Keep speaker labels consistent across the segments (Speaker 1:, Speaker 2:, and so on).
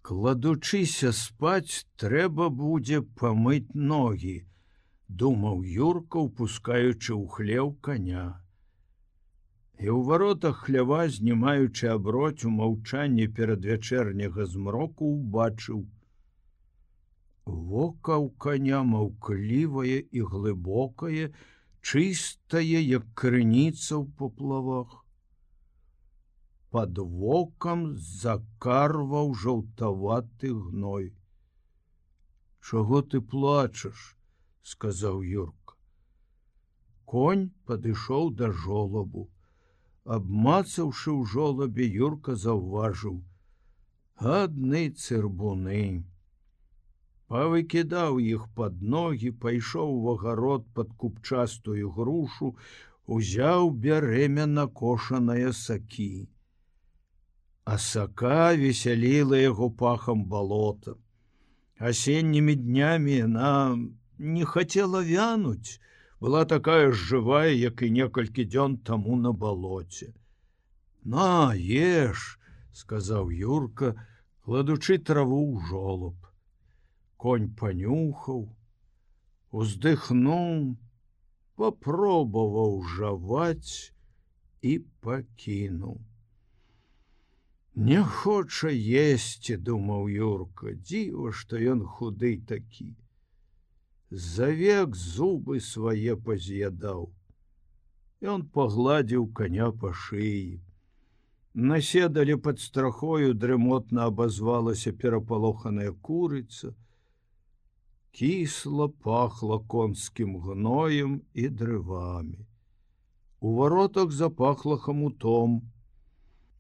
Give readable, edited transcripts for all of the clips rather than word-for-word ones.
Speaker 1: Кладучыся спаць, трэба будзе памыць ногі, думаў Юрка, упускаючы ў хлеў коня. І ў варотах хлява, знімаючы аброць у маўчанні перад вячэрняга змроку, убачыў. Вока ў коня маўклівае і глыбокае, чыстае, як крыніца ў поплавах. Пад вокам закарваў жаўтаваты гной. «Чаго ты плачаш?» — сказаў Юрка. Конь падышоў да жолабу. Абмацаўшы ў жолабе, Юрка заўважыў: адны цырбуны. Павыкідаў іх пад ногі, пайшоў у агарод пад купчастую грушу, узяў бярэмя накошанае сакі. А сака весяліла яго пахам балота. Асеннімі днямі яна не хацела вянуць, была такая ж жывая, як і некалькі дзён таму на балоце. «На, еш!» — сказаў Юрка, кладучы траву ў жолаб. Конь панюхаў, уздыхнуў, папробаваў жаваць і пакінуў. «Не хоча есці», — думаў Юрка, — «дзіва, што ён худы такі. За век зубы свае паз'ядаў». Ён пагладзіў коня па шыі. На седале пад страхою дрымотна абазвалася перапалоханая курыца. Кісла пахла конскім гноем і дрывамі. У варотах запахла хамутом.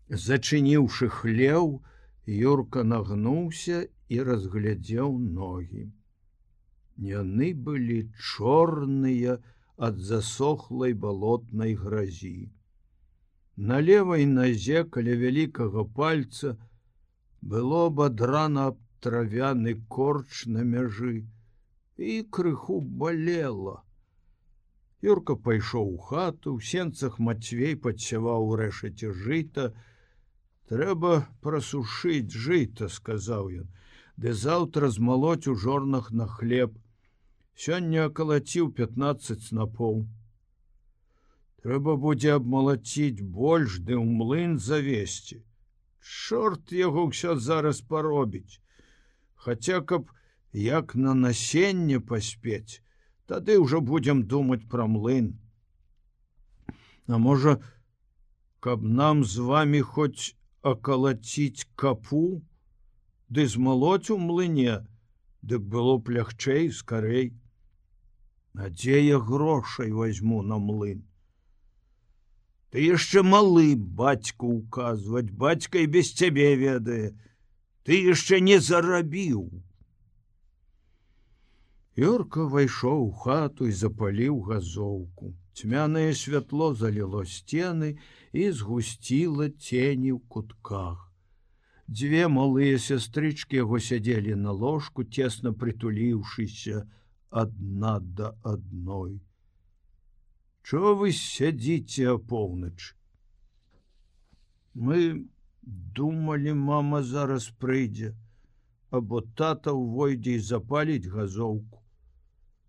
Speaker 1: Зачыніўшы хлеў, Юрка нагнуўся і разглядзеў ногі. Яны былі чорныя ад засохлай балотнай гразі. На левай назе каля вялікага пальца было абадрана абтравяны корч на мяжы і крыху балела. Юрка пайшоў у хату, у сенцах Мацвей падсяваў у рэшаце жыта. «Трэба прасушыць жыта», — сказаў ён, — «ды заўтра змалоць у жорнах на хлеб. Сёння акалаціў 15 снапоў. Трэба будзе абмалаціць больш, ды ў млын завесці. Чорт яго ўсё зараз паробіць. Хаця, каб як на насенне паспець, тады ўжо будзем думаць пра млын. А можа, каб нам з вамі хоць акалаціць капу, ды змалоць у млыне, дык было б лягчэй, скарэй. А дзе я грошай возьму на млын? Ты яшчэ малы бацьку указваць, бацька і без цябе ведае. Ты яшчэ не зарабіў». Юрка ўвайшоў у хату і запаліў газоўку. Цьмянае святло заліло сцены і згусціла цені ў кутках. Дзве малыя сястрычкі яго сядзелі на ложку, цесна прытуліўшыся адна да адной. «Чого вы сядзіце апоўначы?» «Мы думалі, мама зараз прыйдзе, або тата ўвойдзе і запаліць газоўку».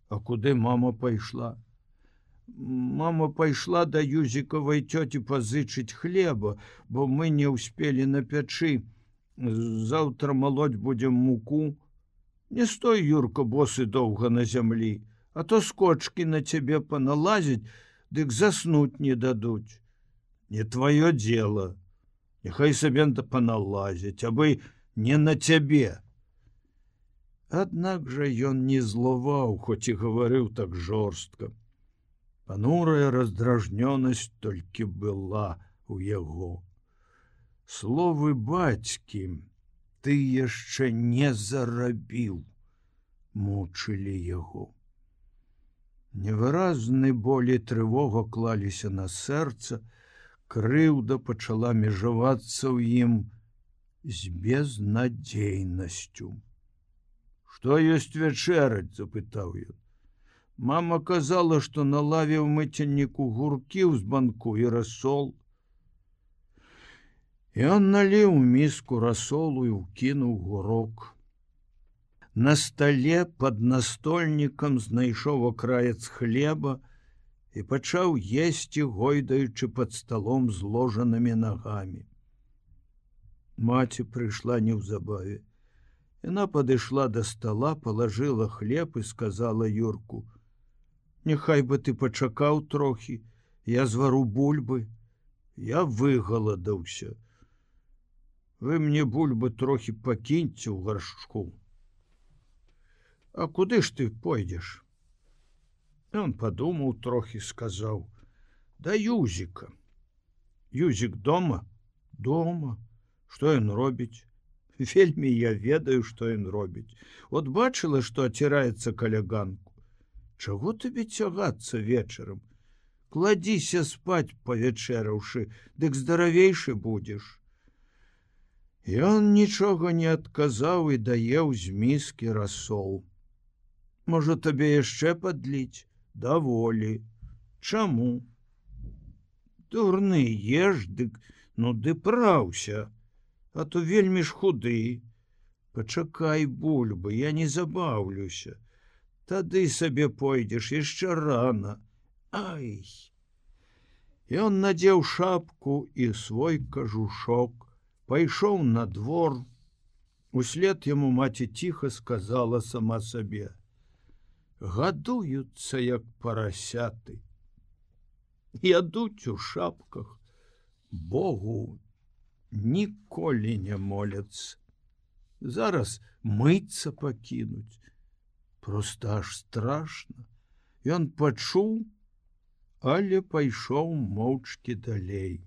Speaker 1: «А куды мама пайшла?» «Мама пайшла да Юзікавай цёці пазычыць хлеба, бо мы не ўспелі на пячы. Заўтра малоць будзем муку. Не стой, Юрка, босы доўга на зямлі, а то скочкі на цябе паналазіць, дык заснуць не дадуць. Не твоё дело. Няхай сабе паналазіць, абы не на цябе». Аднак жа ён не злаваў, хоць і гаварыў так жорстка. Панурая раздражнёнасць толькі была у яго. Словы бацькі «ты яшчэ не зарабіў» мучылі яго. Невыразны боль і трывога клаліся на сэрца, крыўда пачала межавацца ў ім з безнадзейнасцю. «Што ёсць вячэраць?» — запытаў ён. «Мама казала, што на лаве ў мыцельніку гуркі ў збанку і рассол». Ён наліў міску расолу і ўкінуў гурок. На стале пад настольнікам знайшоў акраец хлеба і пачаў есці, гойдаючы пад сталом зложанымі нагамі. Маці прыйшла неўзабаве. Яна падышла да стала, палажыла хлеб і сказала Юрку: «Няхай бы ты пачакаў трохі, я звару бульбы, я выгаладаўся. Вы мне бульбы трохі пакіньце ў гаршчку». «А куды ж ты пойдзеш?» Ён падумаў трохі, сказаў: «Да Юзіка». «Юзік дома?» «Дома. Што ён робіць?» «Вельмі я ведаю, што ён робіць. От бачыла, што аціраецца каля ганку. Чаго табе цягацца вечарам? Кладзіся спаць, павячэраўшы, дык здаравейшы будзеш». Ён нічога не адказаў і даеў з міскі расол. «Можа, табе яшчэ падліць?» «Даволі». «Чаму?» «Дурны, еш, дык, ну ды праўся, а то вельмі ж худы. Пачакай бульбы, я не забаўлюся. Тады сабе пойдзеш, яшчэ рана. Ай!» Ён надзеў шапку і свой кажушок, пайшоў на двор. Услед яму маці ціха сказала сама сабе: «Гадуюцца, як парасяты. Ядуць у шапках, Богу ніколі не моляцца. Зараз мыцца пакінуць. Проста аж страшна». Ён пачуў, але пайшоў моўчкі далей.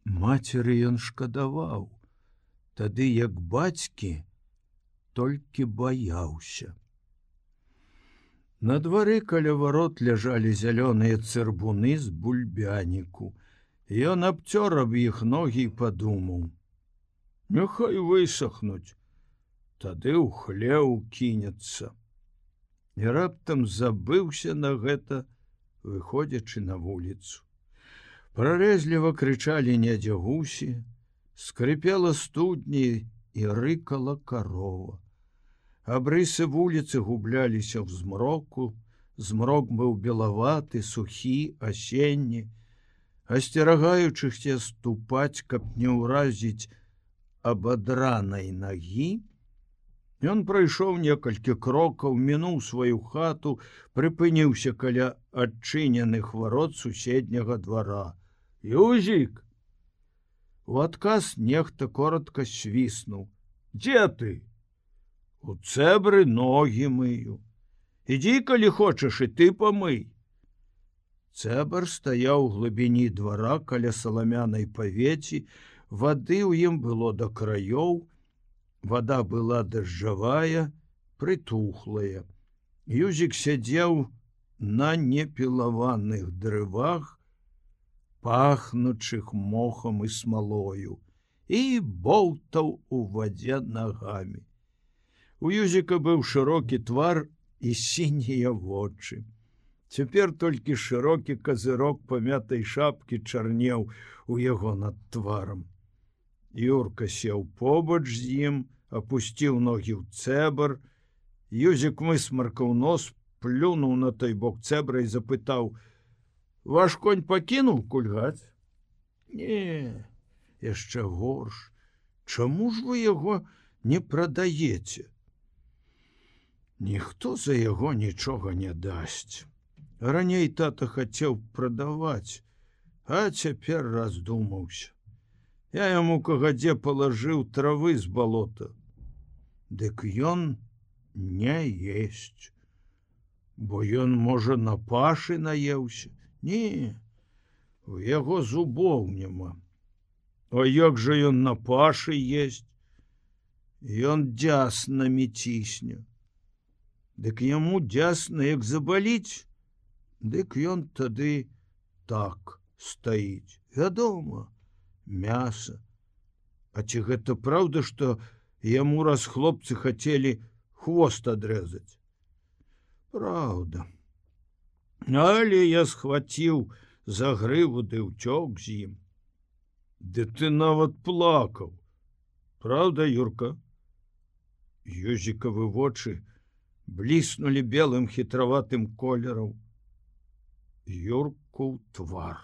Speaker 1: Мацеры ён шкадаваў, тады як бацькі толькі баяўся. На двары каля варот ляжалі зялёныя цырбуны з бульбяніку. Ён абцёр аб іх ногі і падумаў: «Няхай высохнуць, тады ў хлеў кінецца». І раптам забыўся на гэта, выходзячы на вуліцу. Прарэзліва крычалі недзе гусі, скрыпела студні і рыкала карова. Абрысы вуліцы губляліся ў змроку, змрок быў белаваты, сухі, асенні. Асцерагаючыся ступаць, каб не ўразіць абадранай нагі, ён прайшоў некалькі крокаў, мінуў сваю хату, прыпыніўся каля адчыненых варот суседняга двара. «Юзік!» У адказ нехта коротка свіснуў. «Дзе ты?» «У цэбры ногі мыю. Ідзі, калі хочаш, і ты памый». Цэбр стаяў у глыбіні двара каля саламянай павеці, вады ў ім было да краёў, вада была дажджавая, прытухлая. Юзік сядзеў на непілаваных дрывах, пахнучых мохам і смалою, і боўтаў у вадзе нагамі. У Юзіка быў шырокі твар і сінія вочы. Цяпер толькі шырокі казырок памятай шапкі чарнеў у яго над тварам. Юрка сеў побач з ім, апусціў ногі ў цэбр. Юзік высмаркаў нос, плюнуў на той бок цэбра і запытаў: «Ваш конь пакінуў кульгаць?» «Не, яшчэ горш. Чаму ж вы яго не прадаеце?» «Ніхто за яго нічога не дасць. Раней тата хацеў прадаваць, а цяпер раздумаўся. Я яму кагадзе палажыў травы з балота. Дык ён не есць. Бо ён, можа, на пашы наеўся? Не, у яго зубоў няма. А як жа ён на пашы есць? Ён дзяснамі цісне. Дык яму дзясна, як забаліць, дык ён тады так стаіць. Вядома, мяса. А ці гэта праўда, што яму раз хлопцы хацелі хвост адрэзаць?» «Праўда. Але я схваціў за грыву ды ўцёк з ім. Ды ты нават плакаў. Праўда, Юрка? Юзікавы вочы бліснулі белым хітраватым колерам. Юрку твар.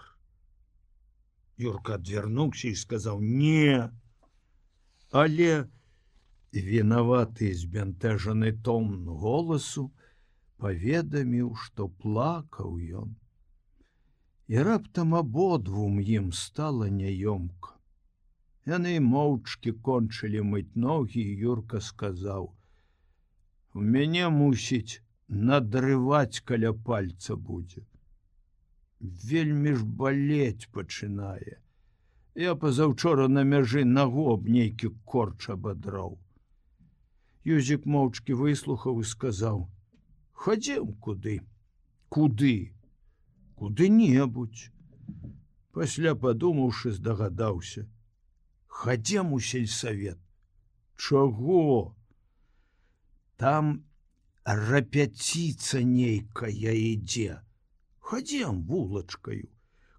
Speaker 1: Юрка адвярнуўся і сказаў: «Не». Але вінаваты збянтэжаны тон голасу паведаміў, што плакаў ён. І раптам абодвум ім стала няёмка. Яны моўчкі кончылі мыць ногі, і Юрка сказаў: «У мяне, мусіць, надрываць каля пальца будзе. Вельмі ж балець пачынае. Я пазаўчора на мяжы нагу аб нейкі корч абадраў». Юзік моўчкі выслухаў і сказаў: «Хадзем куды». «Куды?» «Куды-небудзь». Пасля, падумаўшы, здагадаўся: «Хадзем у сельсавет». «Чаго?» «Там рэпетыцыя нейкая ідзе. Хадзем вулачкаю.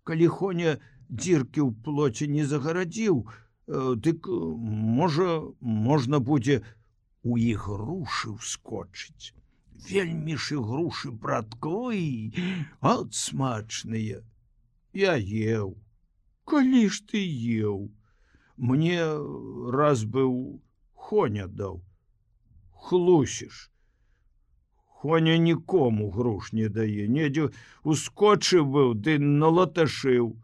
Speaker 1: Калі Хоня дзіркі ў плоце не загарадзіў, дык, можа, можна будзе у ігрушы ўскочыць. Вельмі ж ігрушы, братковы, от смачныя. Я еў». «Калі ж ты еў?» «Мне раз быў Хоня даў». «Хлусіш. Хоня нікому груш не дае. Недзе ускочыў быў, ды налаташыў».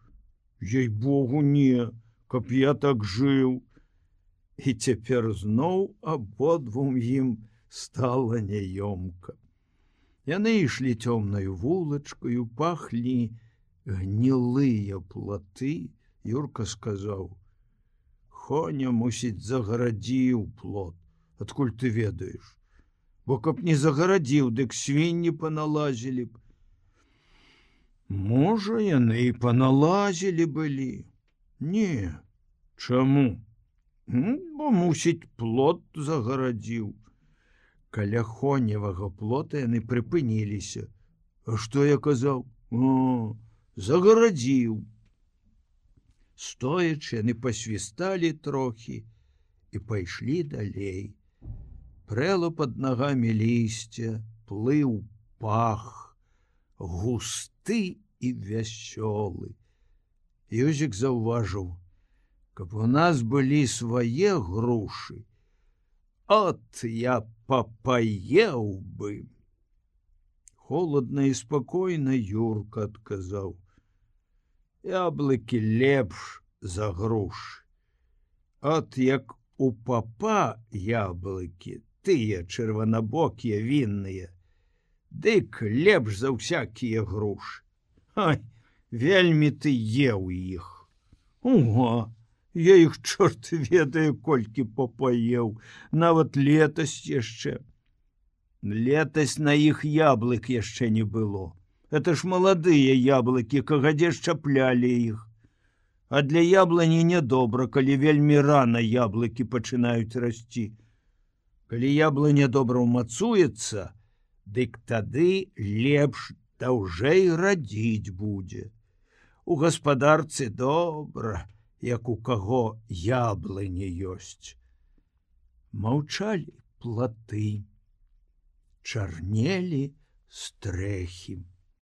Speaker 1: «Ей-богу, не, каб я так жыў». І цяпер зноў абодвум ім стала няёмка. Яны ішлі цёмнаю вулачкаю, пахлі гнілыя платы. Юрка сказаў: «Хоня, мусіць, загарадзіў плот. Адкуль ты ведаеш? Бо каб не загарадзіў, дык свінні паналазілі б». «Можа, яны і паналазілі былі». «Не, чаму?» «Бо, мусіць, плот загарадзіў». Каля Хоневага плота яны прыпыніліся. «А што я казаў?» «О, загарадзіў». Стоячы, яны пасвісталі трохі і пайшлі далей. Прэла пад нагамі лісця, плыў пах, густы і вясёлы. Юзік заўважыў: «Каб у нас былі свае грушы, от я папаеў бы». Холодна і спакойна Юрка адказаў: «Яблыкі лепш за грушы. От як у папа яблыкі, тыя чырванабокія вінныя, дык лепш за ўсякія грушы. Ай, вельмі ты еў іх». «Ого, я іх чорт ведае колькі папаеў, нават летась яшчэ». «Летась на іх яблык яшчэ не было. Это ж маладыя яблыкі, кагадзе шчаплялі іх. А для яблані нядобра, калі вельмі рана яблыкі пачынаюць расці. Калі яблыня добра ўмацуецца, дык тады лепш даўжэй радзіць будзе. У гаспадарцы добра, як у каго яблыні ёсць». Маўчалі платы, чарнелі стрэхі.